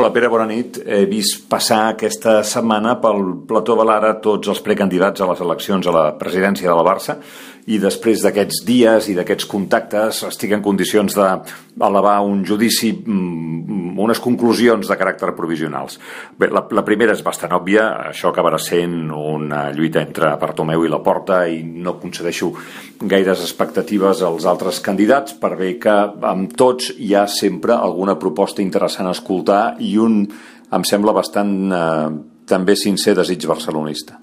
Hola, Pere, bona nit. He vist passar aquesta setmana pel plató de l'Ara tots els precandidats a les eleccions a la presidència de la Barça i després d'aquests dies i d'aquests contactes estic en condicions d'elevar un judici, unes conclusions de caràcter provisionals. Bé, la primera és bastant òbvia, això acabarà sent una lluita entre Bartomeu i Laporta i no concedeixo gaires expectatives als altres candidats per bé que amb tots hi ha sempre alguna proposta interessant a escoltar i un, em sembla, bastant també sincer desig barcelonista.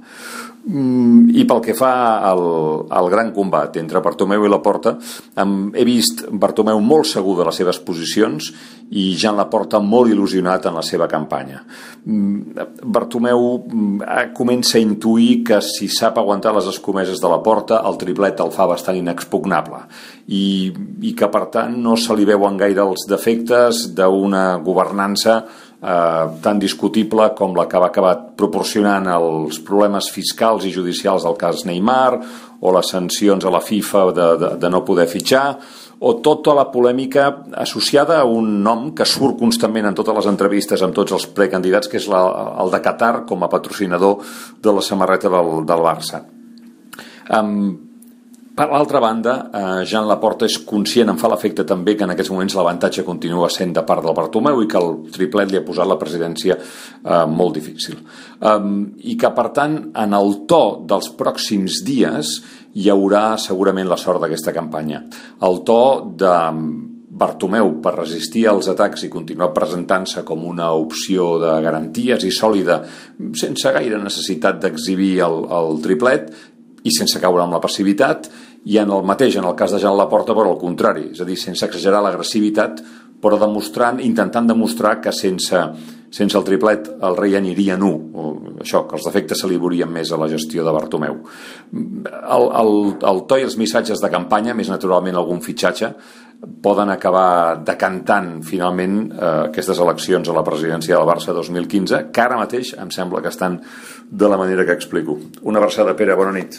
I pel que fa al gran combat entre Bartomeu i Laporta, he vist Bartomeu molt segur de les seves posicions i Joan Laporta molt il·lusionat en la seva campanya. Bartomeu comença a intuir que si sap aguantar les escomeses de Laporta, el triplet el fa bastant inexpugnable i que per tant no se li veuen gaire els defectes d'una governança tan discutible com la que va acabar proporcionant els problemes fiscals i judicials del cas Neymar o les sancions a la FIFA de no poder fitxar o tota la polèmica associada a un nom que surt constantment en totes les entrevistes amb tots els precandidats, que és el de Qatar com a patrocinador de la samarreta del Barça. Per l'altra banda, Joan Laporta és conscient, em fa l'efecte també, que en aquests moments l'avantatge continua sent de part del Bartomeu i que el triplet li ha posat la presidència molt difícil. I que, per tant, en el to dels pròxims dies hi haurà segurament la sort d'aquesta campanya. El to de Bartomeu per resistir als atacs i continuar presentant-se com una opció de garanties i sòlida, sense gaire necessitat d'exhibir el triplet, i sense caure en la passivitat, i en el mateix, en el cas de Joan Laporta, però al contrari, és a dir, sense exagerar l'agressivitat, però intentant demostrar que sense el triplet el rei aniria nu, això, que els defectes se li veurien més a la gestió de Bartomeu. El to i els missatges de campanya, més naturalment algun fitxatge, poden acabar decantant finalment aquestes eleccions a la presidència del Barça 2015, que ara mateix em sembla que estan de la manera que explico. Una abraçada, Pere, bona nit.